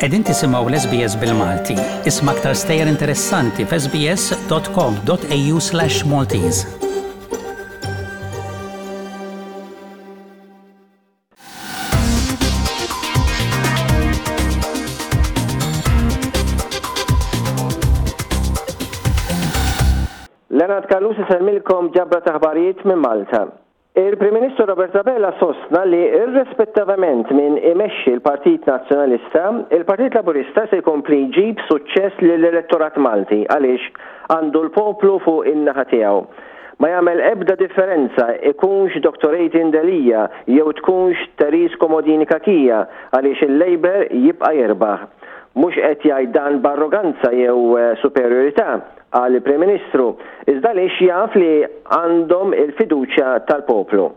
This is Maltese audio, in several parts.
Qegħdin tisimgħu l-SBS bil-Malti. Isma' aktar stejjer interessanti f'sbs.com.au/maltese. Leonard Callus isellmilkom ġabra ta' aħbarijiet minn Malta. Il-Prim Ministru Robert Abela sostna li irrespettavament min imexxi l-Partit Nazzjonalista, il-Partit Laburista se jkompli jġib suċċess lill-elettorat Malti għaliex għandu l-poplu fuq in-naħa tiegħu. Ma jagħmel ebda differenza ikunx Dottor Adrian Delia jew tkunx Therese Comodini Cachia għaliex il-Labour jibqa' jirbaħ. Mhux qed jgħid dan b'arroganza jew superjorità, qal il-Prim Ministru, iżda għaliex jaf li għandhom il-fiduċja tal-poplu.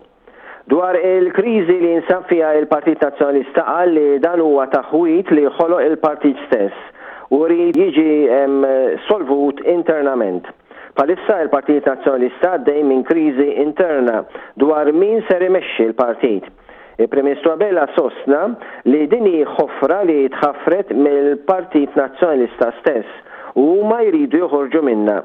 Dwar il-kriżi li jinsab fiha il-Partit Nazzjonalista qal li dan huwa taħwid li ħoloq il-partit stess u jrid jiġi solvut internament. Bħalissa il-Partit Nazzjonalista għaddej minn kriżi interna dwar min ser imexxi l-partit. Il-Prim Ministru Abela sostna li din hi ħofra li tħaffret mill-Partit Nazzjonalista stess u huma jridu joħorġu minnha.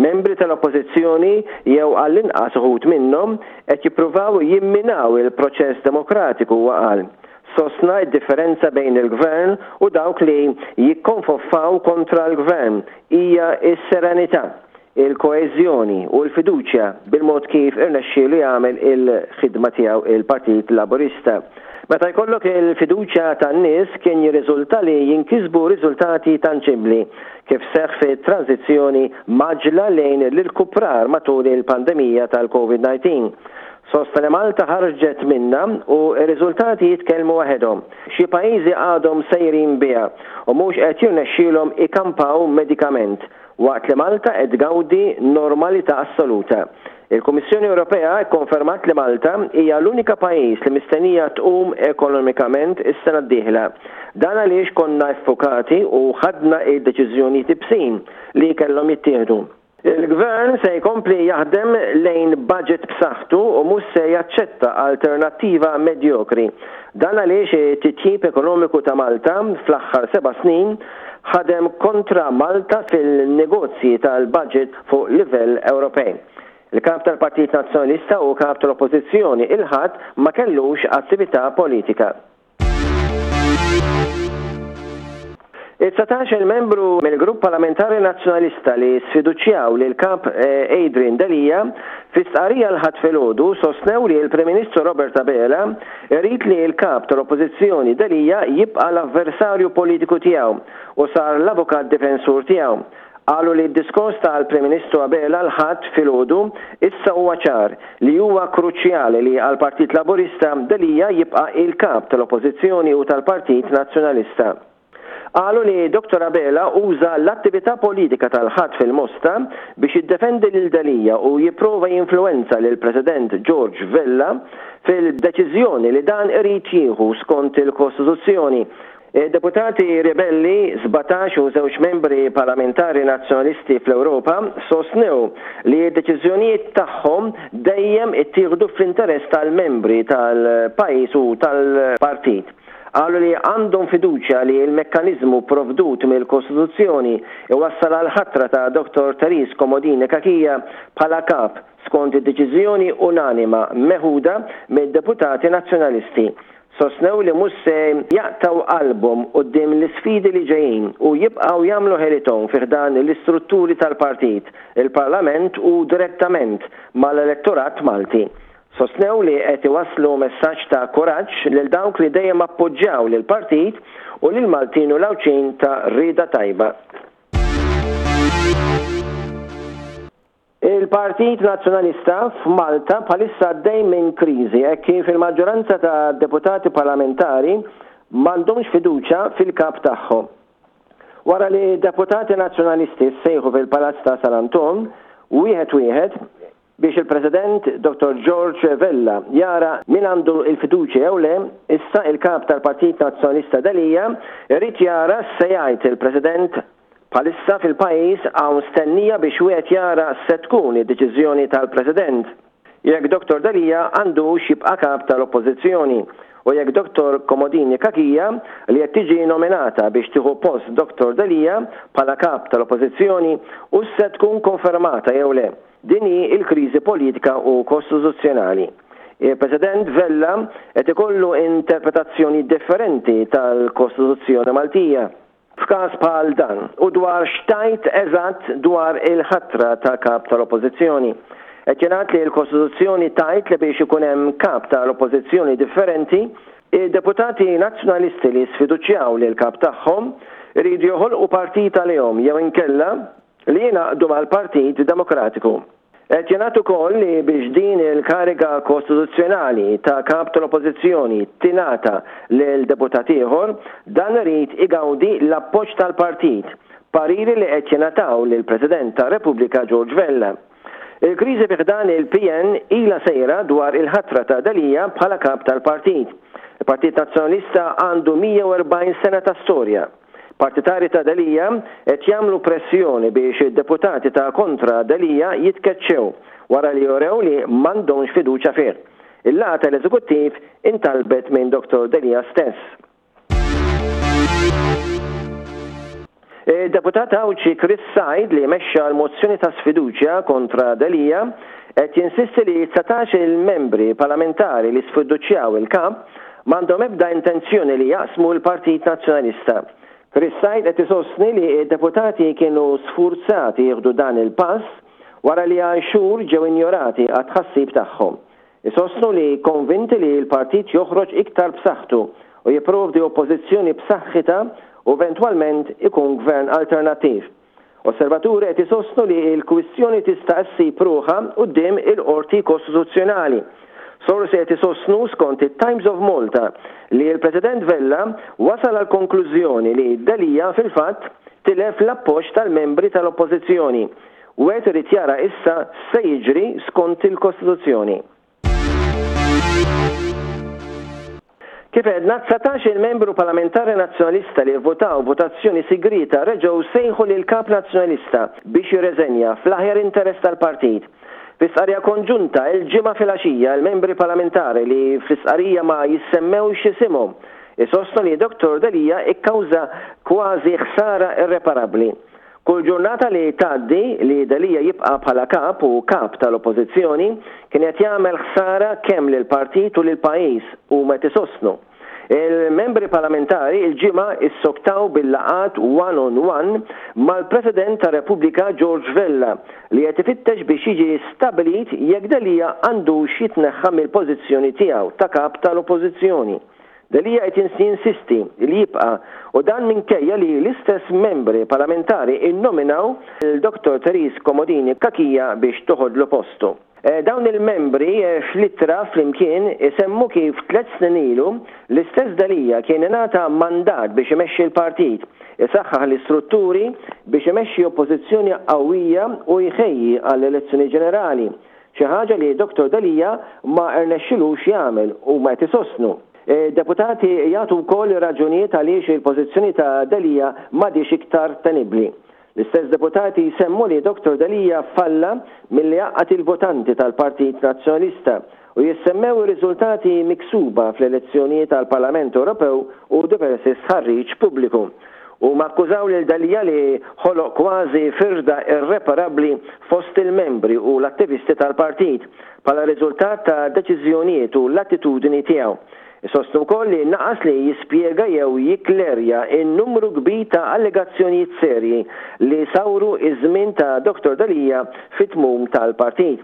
Membri tal-Oppożizzjoni, jew għall-inqas uħud minnhom, qed jippruvaw jimminaw il-proċess demokratiku, huwa qal. Sostna d-differenza bejn il-Gvern u dawk li jikkonfoffaw kontra l-Gvern hija s-serenità, il-koeżjoni u l-fiduċja bil-mod kif irnexxielu jagħmel il-ħidma tiegħu il-Partit Laburista. Meta jkollok il-fiduċja tan-nies kien jirriżulta li jinkisbu riżultati tanġibbli, kif seħħ fit-tranżizzjoni mgħaġġla lejn l-irkuprar matul il-pandemija tal-Covid 19. Sostna li Malta ħarġet minnha u r-riżultati jitkellmu waħedhom. Xi pajjiżi għadhom sejrin biha u mhux qed jirnexxielhom ikampaw medikament, waqt li Malta qed tgawdi normalità assoluta. Il-Kummissjoni Ewropea kkonfermat li Malta hija l-unika pajjiż li mistennija tqum ekonomikament is-sena d-dieħla. Dan għaliex konna ffukati u ħadna d-deċiżjonijiet ibsin li kellhom jittieħdu. Il-Gvern se jkompli jaħdem lejn budget b'saħħtu u mhux se jaċċetta alternattiva medjokri. Dan għaliex it-titjib ekonomiku ta' Malta fl-aħħar seba' snin ħadem kontra Malta fil-negozji tal-budget fuq livell Ewropej. Il-Kap tal-Partit Nazzjonalista u Kap tal-Oppożizzjoni il-Ħadd ma kellux attività politika. It-dsatax-il membru mill-Grupp Parlamentari Nazzjonalista li sfiduċjaw lill-Kap Adrian Delia fi stqarrija l-Ħadd filgħodu sostnew li l-Prim Ministru Robert Abela jrid li l-Kap tal-Oppożizzjoni Delia jibqa' l-avversarju politiku tiegħu u sar l-avukat difensur tiegħu. Qalu li d-diskors tal-Prim Ministru Abela l-Ħadd filgħodu issa huwa ċar li huwa kruċjali li għall-Partit Laburista Delia jibqa' il-Kap tal-Oppożizzjoni u tal-Partit Nazzjonalista. Qalu li Dottor Abela uża l-attività politika tal-Ħadd fil-Mosta biex jiddefendi lil Delia u jipprova jinfluwenza lill-President George Vella fil-deċiżjoni li dan irid jieħu skont il-Kostituzzjoni Id-deputati ribelli, 17 u żewġ membri parlamentari Nazzjonalisti fl-Ewropa sostnew li d-deċiżjonijiet tagħhom dejjem ittieħdu fl-interess tal-membri tal-pajjiż u tal-partit. Qalu li għandhom fiduċja li l-mekkaniżmu pprovdut mill-Kostituzzjoni iwassal għall-ħatra ta' Dottor Therese Comodini Cachia bħala Kap skont id-deċiżjoni unanima meħuda mid-deputati Nazzjonalisti. Sostnew li mhux se jaqtgħu qalbhom quddiem l-isfidi li ġejjin u jibqgħu jagħmlu ħelithom fi ħdan l-istrutturi tal-partit, il-Parlament u direttament mal-elettorat Malti. Sostnew li qed iwasslu messaġġ ta' kuraġġ lil dawk li dejjem appoġġjaw lill-partit u lill-Maltin u l-Għawdxin ta' rieda tajba. Il-Partit Nazzjonalista f'Malta bħalissa għaddej minn kriżi hekk kif il-maġġoranza ta' deputati parlamentari m'għandhomx fiduċja fil-kap tagħhom. Wara li deputati Nazzjonalisti ssejħu fil-Palazz ta' San Anton, wieħed wieħed, biex il-President Dottor George Vella jara min għandu l-fiduċja jew le, issa il-Kap tal-Partit Nazzjonalista Delia jrid jara x'se jgħid il-President Bħalissa fil-pajjiż hawn stennija biex wieħed jara x'se tkun id-deċiżjoni tal-President. jekk Dottor Delia għandux jibqa' Kap tal-Oppożizzjoni u jekk Dottor Comodini Cachia li qed tiġi nominata biex tieħu post Dottor Delia bħala Kap tal-Oppożizzjoni hux se tkun konfermata jew le. Din hi l-kriżi politika u kostituzzjonali. Il-President Vella qed ikollu interpretazzjoni differenti tal-Kostituzzjoni Maltija f'każ bħal dan u dwar x'tgħid eżatt dwar il-ħatra ta' Kap tal-Oppożizzjoni. Qed jingħad li l-Kostituzzjoni tgħid li biex ikun hemm Kap tal-Oppożizzjoni differenti, id-deputati Nazzjonalisti li sfiduċjaw lill-Kap tagħhom iridu joħolqu partit għalihom jew inkella li jingħaqdu mal-Partit Demokratiku. Qed jingħad ukoll li biex din il-kariga kostituzzjonali ta' Kap tal-Oppożizzjoni tingħata lil deputat ieħor, dan irid igawdi l-appoġġ tal-partit, pariri li qed jingħataw lill-President tar-Repubblika George Vella. Il-kriżi fi ħdan il-PN ilha sejra dwar il-ħatra ta' Delia bħala Kap tal-partit. Il-Partit Nazzjonalista għandu 140 sena ta' storja. Partitarji ta' Delia qed jagħmlu pressjoni biex id-deputati ta' kontra Delia jitkeċċew wara li urew li m'għandhomx fiduċja fih. Il-laqgħa tal-Eżekuttiv intalbet minn Dottor Delia stess. Id-deputat Għawdxi Chris Said li mexxa l-mozzjoni ta' sfiduċja kontra Delia qed jinsisti li 19 il-membri parlamentari li sfiduċjaw il-Kap M'għandhom ebda intenzjoni li jaqsmu l-Partit Nazzjonalista. Chris Said qed isostni li d-deputati kienu sfurzati jieħdu dan il-pass wara li għal xhur ġew injorati għat-tħassib tagħhom. Isostnu li konvinti li l-partit joħroġ iktar b'saħħtu u jipprovdi oppożizzjoni b'saħħitha u eventwalment ikun gvern alternattiv. Osservaturi qed isostnu li l-kwistjoni tista' ssib ruħha quddiem il-Qorti Kostituzzjonali. Sorsi qed isostnu, skont it-Times of Malta, li l-President Vella wasal għall-konklużjoni li Delia fil-fatt tilef l-appoġġ tal-membri tal-Oppożizzjoni. Wieħed irid jara issa x'se jiġri skont il-Kostituzzjoni. Kif għedna, 19-il membru parlamentari Nazzjonalista li vvutaw votazzjoni sigrieta reġgħu sejħu lill-Kap Nazzjonalista biex jirreżenja fl-aħjar interess tal-partit. Fi stqarrija konġunta l-Ġimgħa filgħaxija l-membri parlamentari li fl-istqarrija ma jissemmewx isimhom isostnu li Dottor Delia kkawża kważi ħsara irreparabbli. Kull ġurnata li tgħaddi li Delia jibqa' bħala Kap u Kap tal-Oppożizzjoni kien qed jagħmel ħsara kemm lill-partit u lill-pajjiż, huma qed isostnu. Il-membri parlamentari l-Ġimgħa issoktaw bil-laqgħat one on one mal-President tar-Repubblika George Vella li qed ifittex biex jiġi stabbilit jekk Delia għandux jitneħħa mill-pożizzjoni tiegħu ta' Kap tal-Oppożizzjoni. Delia qed jinsisti li jibqa' u dan minkejja li l-istess membri parlamentari nnominaw lil Dottor Therese Comodini Cachia biex toħodlu postu. Dawn il-membri fl-ittra flimkien isemmu kif tlett snin ilu l-istess Delia kien ingħata mandat biex imexxi l-partit, isaħħaħ l-istrutturi biex imexxi oppożizzjoni qawwija u jħejji għall-elezzjoni ġenerali. Xi ħaġa li Dottor Delia ma rnexxilux jagħmel, huma qed isostnu. Id-deputati jagħtu wkoll ir-raġunijiet għaliex il-pożizzjoni ta' Delia m'għadhiex iktar tenibbli. L-istess deputati jsemmu li Dottor Delia falla milli jgħaqqad il-votanti tal-Partit Nazzjonalista u jissemmew ir-riżultati miksuba fl-elezzjonijiet għall-Parlament Ewropew u diversi stħarriġ pubbliku. Huma akkużaw lil Delia li ħoloq kważi firda irreparabbli fost il-membri u l-attivisti tal-partit bħala riżultat ta' deċiżjonijiet u l-attitudni tiegħu. Isostnu wkoll li naqas li jispjega jew jikklerja n-numru kbir ta' allegazzjonijiet serji li sawru ż-żmien ta' Dottor Delia fit-tmum tal-partit.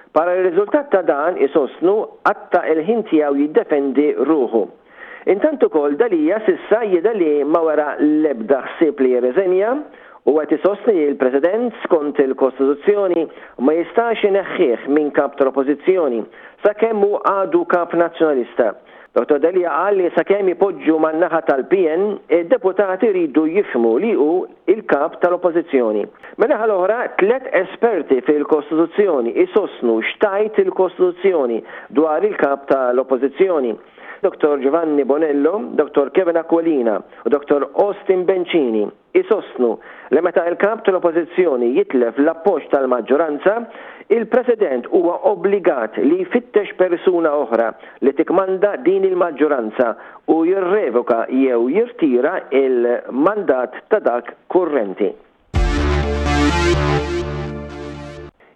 Bħala riżultat ta' dan, isostnu, qatta' il-ħin tiegħu jiddefendi ruħu. Intant ukoll Delia s'issa jidher li ma wera l-ebda ħsieb li jirriżenja u qed isostni li l-President skont il-Kostituzzjoni ma jistax ineħħih minn Kap tal-Oppożizzjoni sakemm hu għadu Kap Nazzjonalista. Dottor Delia qal li sakemm ipoġġu man-naħa tal-PN, id-deputati jridu jifhmu li hu l-Kap tal-Oppożizzjoni. Min-naħa l-oħra, tlett esperti fil-Kostituzzjoni jsostnu x'tgħid il-Kostituzzjoni dwar il-Kap tal-Oppożizzjoni. Dottor Giovanni Bonello, Dottor Kevin Aquilina u Dottor Austin Bencini. Isostnu li meta l-Kap tal-Oppożizzjoni jitlef l-appoġġ tal-maġġoranza, il-President huwa obbligat li jfittex persuna oħra li tikkmanda din il-maġġoranza u jirrevoka jew jirtira l-mandat ta' dak kurrenti.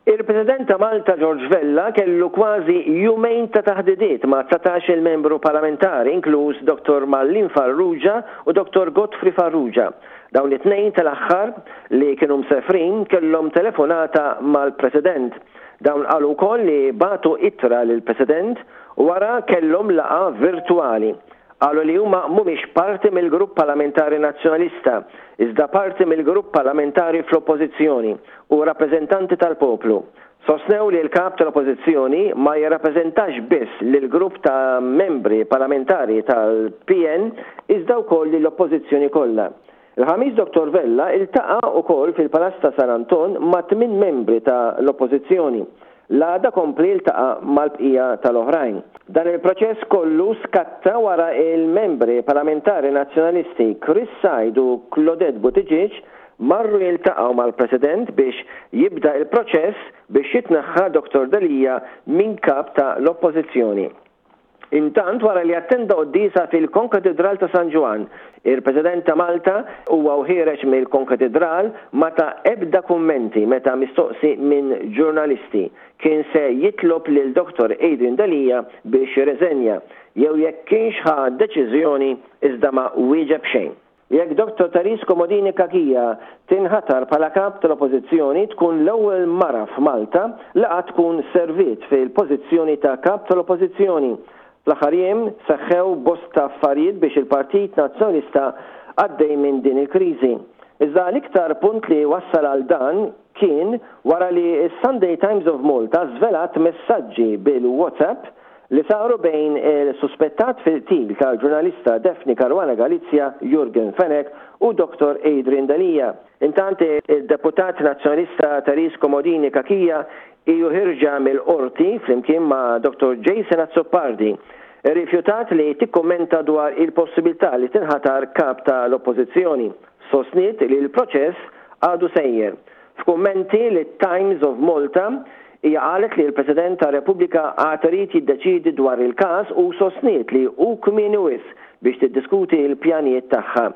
Il-President ta' Malta George Vella kellu kważi jumejn ta' taħdidiet ma' 19-il membru parlamentari inkluż Dottor Marlene Farrugia u Dottor Godfrey Farrugia. Dawn it-tnejn tal-aħħar li kienu msefrin kellhom telefonata mal-President. Dawn qalu wkoll li bagħtu ittra lill-President u wara kellhom laqgħa virtwali. Qalu li huma mhumiex parti mill-Grupp Parlamentari Nazzjonalista, iżda parti mill-Grupp Parlamentari fl-Oppożizzjoni u rappreżentanti tal-poplu. Sostnew li l-Kap tal-Oppożizzjoni ma jirrappreżentax biss lill-grupp ta' membri parlamentari tal-PN iżda wkoll lill-Oppożizzjoni kollha. Il-Ħamis Dottor Vella iltaqa' ukoll fil-Palazz ta' San Anton ma' tminn membri ta' l-Oppożizzjoni. L-għada kompli jiltaqa' mal-bqija tal-oħrajn. Dan il-proċess kollu skatta wara il-membri parlamentari Nazzjonalisti Chris Said u Claudette Buttigieg marru jiltaqgħu mal-President biex jibda il-proċess biex jitneħħa Dottor Delia minn Kap ta' l-Oppożizzjoni. Intant, wara li attenda quddiesa fil-Konkatidral ta' San Ġwann, il-President ta' Malta, huwa u ħiereġ mill-Konkatidral, ma ta ebda kummenti meta mistoqsi minn ġurnalisti kien se jitlob lil Dottor Adrian Delia biex jirreżenja jew jekk kienx ħa deċiżjoni iżda ma wieġeb xejn. Jekk Dottor Therese Comodini Cachia tinħatar bħala Kap tal-Oppożizzjoni tkun l-ewwel mara f'Malta li qatt tkun serviet fil-pożizzjoni ta' Kap tal-Oppożizzjoni. Fl-aħħar jiem seħħew bosta affarijiet biex il-Partit Nazzjonalista għaddej minn din il-kriżi. Iżda l-iktar punt li wassal għal dan kien wara li s-Sunday Times of Malta żvelat messaġġi bil-WhatsApp li saru bejn il-suspettat fil-qtil tal-ġurnalista Daphne Caruana Galizia, Yorgen Fenech, u Dottor Adrian Delia. Intant, id-deputat Nazzjonalista Therese Comodini Cachia hi u ħierġa mill-Qorti flimkien ma' Dottor Jason Azzopardi, irrifjutat li tikkummenta dwar il-possibilità li tinħatar Kap ta' l-Oppożizzjoni. Sostniet li l-proċess għadu sejjer. F'kummenti lit-Times of Malta, hija qalet li l-President tar-Repubblika għad irid jiddeċiedi dwar il-każ u sostniet li hu kmieni wisq biex tiddiskuti l-pjanijiet tagħha.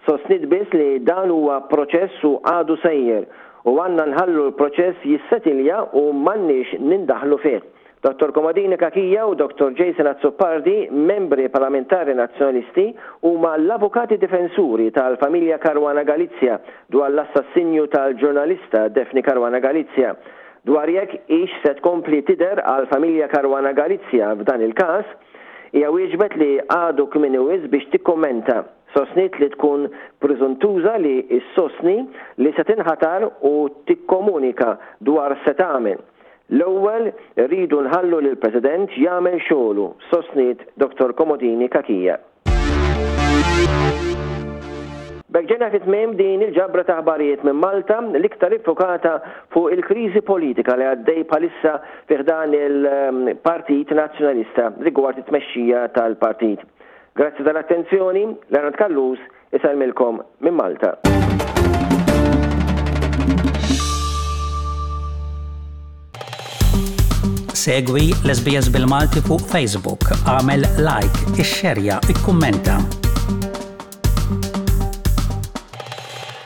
Sostniet biss li dan huwa proċess u għadu sejjer u għandna nħallu l-proċess jissetilja u m'għandniex nindaħlu fih. Dottor Comodini Cachia u Dottor Jason Azzopardi, membri parlamentari Nazzjonalisti, huma l-avukati difensuri tal-familja Caruana Galizia dwar l-assassinju tal-ġurnalista Daphne Caruana Galizia. Dwar jekk hix se tkompli tidher għall-familja Caruana Galizia f'dan il-każ, hija wieġbet li għadu kmieni wisq biex tikkummenta. Sostniet li tkun prużuntuża li ssostni li se tinħatar u tikkomunika dwar x'se tagħmel. L-ewwel irridu nħallu lill-President jagħmel xogħlu, sostniet Dottor Comodini Cachia. B'hekk ġejna fi tmiem din il-ġabra ta' aħbarijiet minn Malta, l-iktar iffukata fuq il-kriżi politika li għaddej bħalissa fi ħdan il-Partit Nazzjonalista rigward it-tmexxija tal-partit. Grazzi tal-attenzjoni, Leonard Callus isellmilkom minn Malta. Segwi l-SBS bil-Malti fuq Facebook, għamel like, ixxerja, ikkummenta.